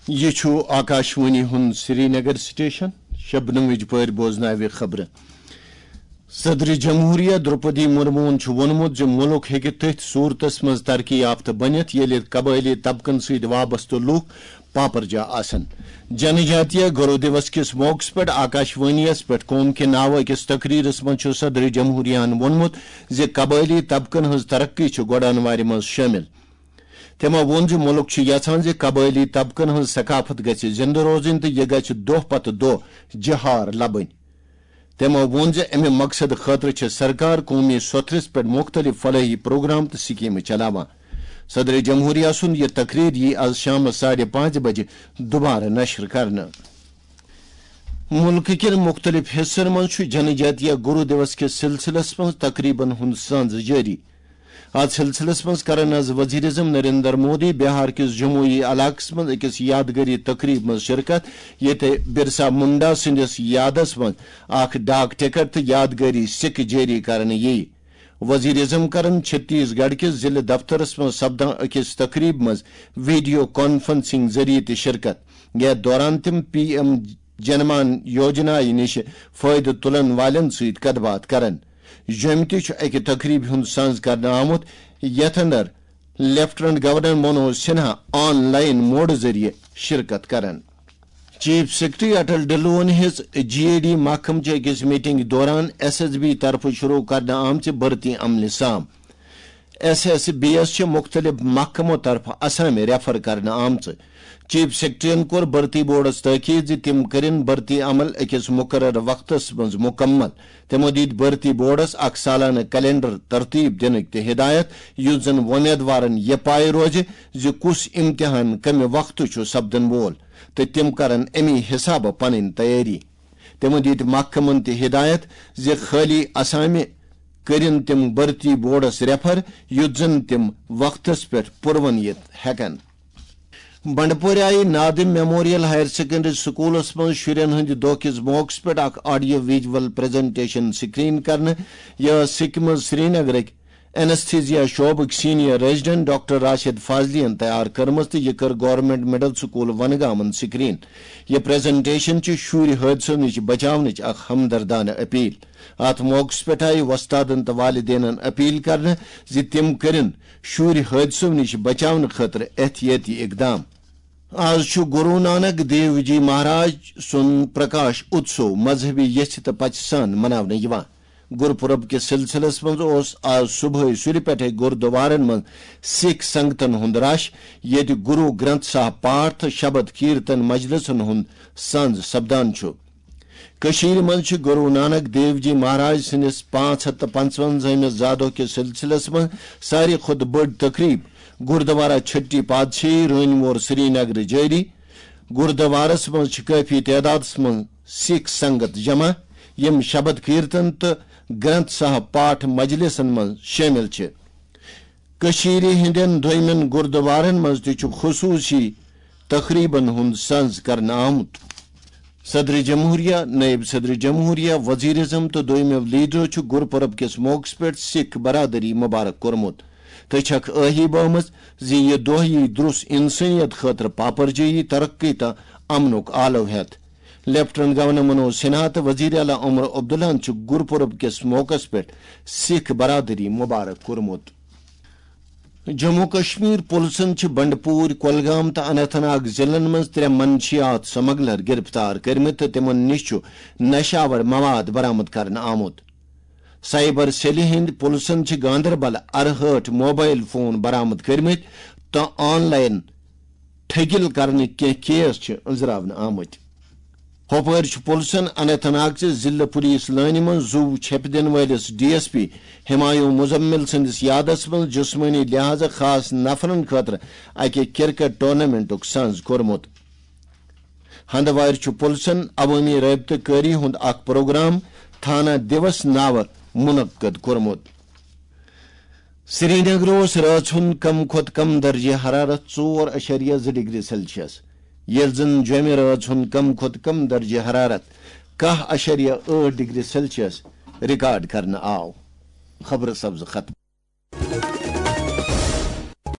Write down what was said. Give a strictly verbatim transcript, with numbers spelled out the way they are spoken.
یہِ چھُ آکاشوانی ہُنٛد سرینگر سٹیشن۔ شبنمٕچ پٲرۍ بوزناوِ خبرٕ۔ صدر جمہوریہ درپدی مرموہن چھُ ووٚنمُت زِ مُلک ہیٚکہِ تٔتھۍ صورتس منٛز ترقی یافتہٕ بٔنِتھ، ییٚلہِ قبٲئلی طبقن سۭتۍ وابستہٕ لوٗکھ پاپرجا آسن۔ جنجاتیہ گرو دیوس کِس موقعس پٮ۪ٹھ آکاشوانی یَس پٮ۪ٹھ قوم کے ناوٕ أکِس تقریرس منٛز چھُ صدر جمہوریہ ہن ووٚنمُت زِ قبٲئلی طبقن ہٕنٛز ترقی چھِ گۄڈانوارِ منٛز شٲمِل۔ تِمو ووٚن زِ مُلک چھُ یژھان زِ قبٲئلی طبقن ہٕنٛز ثقافت گژھِ زِندٕ روزٕنۍ تہٕ یہِ گژھِ دۄہ پتہٕ دۄہ جہار لبٕنۍ۔ تِمو ووٚن زِ اَمہِ مقصدٕ خٲطرٕ چھِ سرکار قومی سوٚتھرِس پٮ۪ٹھ مُختٔلِف فلٲحی پروگرام تہٕ سکیمہٕ چلاوان۔ صدر جمہوریہ سُنٛد یہِ تقریر یِیہِ از شامس ساڑِ پانٛژِ بجہِ دُبارٕ نشر کرنہٕ۔ مُلکہٕ کٮ۪ن مُختٔلِف حصن منٛز چھُ جنجاتیہ گرو دیوس کِس سلسلس منٛز تقریبن ہُنٛد سانز جٲری۔ اتھ سلسلس منٛز کرن از وزیر اعظم نریندر مودی بہار کِس جموئی علاقس منٛز أکِس یادگٲری تقریب منٛز شرکت، ییٚتہِ برسا منڈا سٕنٛدِس یادس منٛز اکھ ڈاک ٹکٹ تہٕ یادگٲری سکہٕ جٲری کرنہٕ یِیہِ۔ وزیر اعظم کرن چھتیس گڑھ کِس ضلع دفترس منٛز سپدان أکِس تقریب منٛز ویڈیو کانفرنسنگ ذٔریعہٕ تہِ شرکت، یتھ دوران تِم پی ایم جنمان یوجنا نِش فٲیدٕ تُلن والٮ۪ن سۭتۍ کتھ باتھ کرن۔ جوٚمہِ تہِ چھُ اَکہِ تقریبہِ ہُنٛد سنز کرنہٕ آمُت، یتھ اندر lieutenant governor Manoj Sinha online موڈٕ ذٔریعہٕ شرکت کرن۔ چیف سیکرٹری اٹل ڈھلوہن ہیٚژ جی اے ڈی محکمہٕ چہِ أکِس میٹنگ دوران ایس ایس بی طرفہٕ شروع کرنہٕ آمژِ بھرتی عملہِ سام۔ ایس ایس بی یَس چھِ مُختٔلِف محکمو طرفہٕ اسامہِ ریفر کرنہٕ آمژٕ۔ چیف سیکرٹریَن کوٚر بھرتی بورڈَس تٲکید زِ تِم کٔرِن بھرتی عمل أکِس مُقررٕ وقتَس منٛز مُکمل۔ تِمَو دِتۍ بھرتی بورڈَس اکھ سالانہٕ کیلنڈر ترتیب دِنٕکۍ تہِ ہدایت، یُتھ زَن وۄمیدوارَن یہِ پاے روزِ زِ کُس امتحان کَمہِ وقتہٕ چھُ سپدَن وول تہٕ تِم کرَن اَمی حسابہٕ پنٕنۍ تیٲری۔ تِمَو دِتۍ محکمَن تہِ ہدایت زِ خٲلی اسامہِ کٔرِن تِم بھرتی بورڈَس ریفر، یُتھ زَن تِم وقتَس پٮ۪ٹھ پُرون یِتھ ہٮ۪کَن۔ بنڈپورِ آیہِ نادم میموریل ہائر سیکنڈری سکولس منٛز شُرٮ۪ن ہٕنٛدِ دۄہ کِس موقعس پٮ۪ٹھ اکھ آڈیو ویجول پریزنٹیشن سکرین کرنہٕ۔ یہِ ٲس سکمز سرینگرٕکۍ اینستھیزیا شعبٕکۍ senior resident doctor Rashid Fazili یَن تیار کٔرمٕژ تہٕ یہِ کٔر گورنمنٹ مڈل سکول ونگامن سکرین۔ یہِ پریزنٹیشن چھِ شُرۍ حٲدثو نِش بچاونٕچ اکھ ہمدردانہٕ اپیل۔ اتھ موقعس پٮ۪ٹھ آیہِ وۄستادن تہٕ والدینن اپیل کرنہٕ زِ تِم کٔرِن شُرۍ حٲدثو نِش بچاونہٕ خٲطرٕ احتیاطی اقدام۔ آز چھُ گرو نانک دیو جی مہاراج سُنٛد پرکاش اتسو مذہبی یژھِ تہٕ پژھِ سان مناونہٕ یِوان۔ گرپورب کِس سلسلس منٛز اوس آز صبحٲے سُرِ پٮ۪ٹھے گردوارن منٛز سکھ سنگتن ہُنٛد رش، ییٚتہِ گرو گرنتھ صاحب پاٹھ تہٕ شبد کیرتن مجلسن ہُنٛد سنز سپدان چھُ۔ کٔشیٖرِ منٛز چھِ گرو نانک دیو جی مہاراج سٕنٛدِس پانٛژھ ہَتھ تہٕ پنٛژوَنزٲہمِس زادۄہ کِس سلسلس منٛز ساروی کھۄتہٕ بٔڑ تقریب گردوارہ چھٹی پادشاہی رٲنۍ وور سرینگرٕ جٲری۔ گردوارس منٛز چھِ کٲفی تعدادس منٛز سکھ سنگت جمع، یِم شبد کیرتن تہٕ گرنتھ صاحب پاٹھ مجلسن منٛز شٲمِل چھِ۔ کٔشیٖرِ ہٕنٛدٮ۪ن دوٚیمٮ۪ن گُردوارن منٛز تہِ چھُ خصوٗصی تقریبن ہُنٛد سنز کرنہٕ آمُت۔ صدر جمہوریہ، نائب صدر جمہوریہ، وزیر اعظم تہٕ دوٚیمٮ۪و لیڈرو چھُ گُرپرب کِس موقعس پٮ۪ٹھ سکھ برادری مبارک کوٚرمُت تہٕ چھکھ ٲہی بٲومٕژ زِ یہِ دۄہ یی درُس انسٲنیت خٲطرٕ پاپرجٲیی، ترقی تہٕ امنُک آلو ہٮ۪تھ۔ لیفٹیننٹ گورنر منوج سنہا تہٕ وزیر اعلیٰ عمر عبداللہن چھُ گُرپرب کِس موقعس پٮ۪ٹھ سکھ برادری مبارک کوٚرمُت۔ جموں کشمیر پُلسن چھِ بنڈپور، کۄلگام تہٕ اننت ناگ ضلعن منٛز ترٛےٚ منشیات سمگلر گرفتار کٔرمٕتۍ تہٕ تِمَن نِش چھُ نشہٕ آور مواد برآمد کرنہٕ آمُت۔ سائبر سیلہِ ہٕنٛدۍ پُلسن چھِ گاندربل ارہٲٹھ موبائل فون برآمد کٔرمٕتۍ تہٕ آن لائن ٹھگِل کرنٕکۍ کینٛہہ کیس چھِ أنٛزراونہٕ آمٕتۍ۔ ہۄپٲرۍ چھُ پُلسن اننت ناگ چہِ ضلع پولیس لٲنہِ منٛز زُو چھیٚپہِ دِنہٕ وٲلِس D S P Humayun Muzammil سٕنٛدِس یادس منٛز جسمٲنی لحاظہٕ خاص نفرن خٲطرٕ اکہِ کرکٹ ٹورنامنٹُک سنز کوٚرمُت۔ ہندوارِ چھُ پُلسن عوٲمی رٲبطہٕ کٲری ہُنٛد اکھ پروگرام تھانہ دیوس ناوٕ منعقد کوٚرمُت۔ سرینگرٕ اوس رٲژ ہُنٛد کم کھۄتہٕ کم درجہ حرارت ژور اَشریہ زٕ ڈگری سیلسیس، ییٚلہِ زن جوٚمہِ رٲژ ہُنٛد کم کھۄتہٕ کم درجہ حرارت کاہ اَشریہ ٲٹھ ڈگری سیلسیس ریکارڈ کرنہٕ آو۔ خبرٕ سبزٕ ختم۔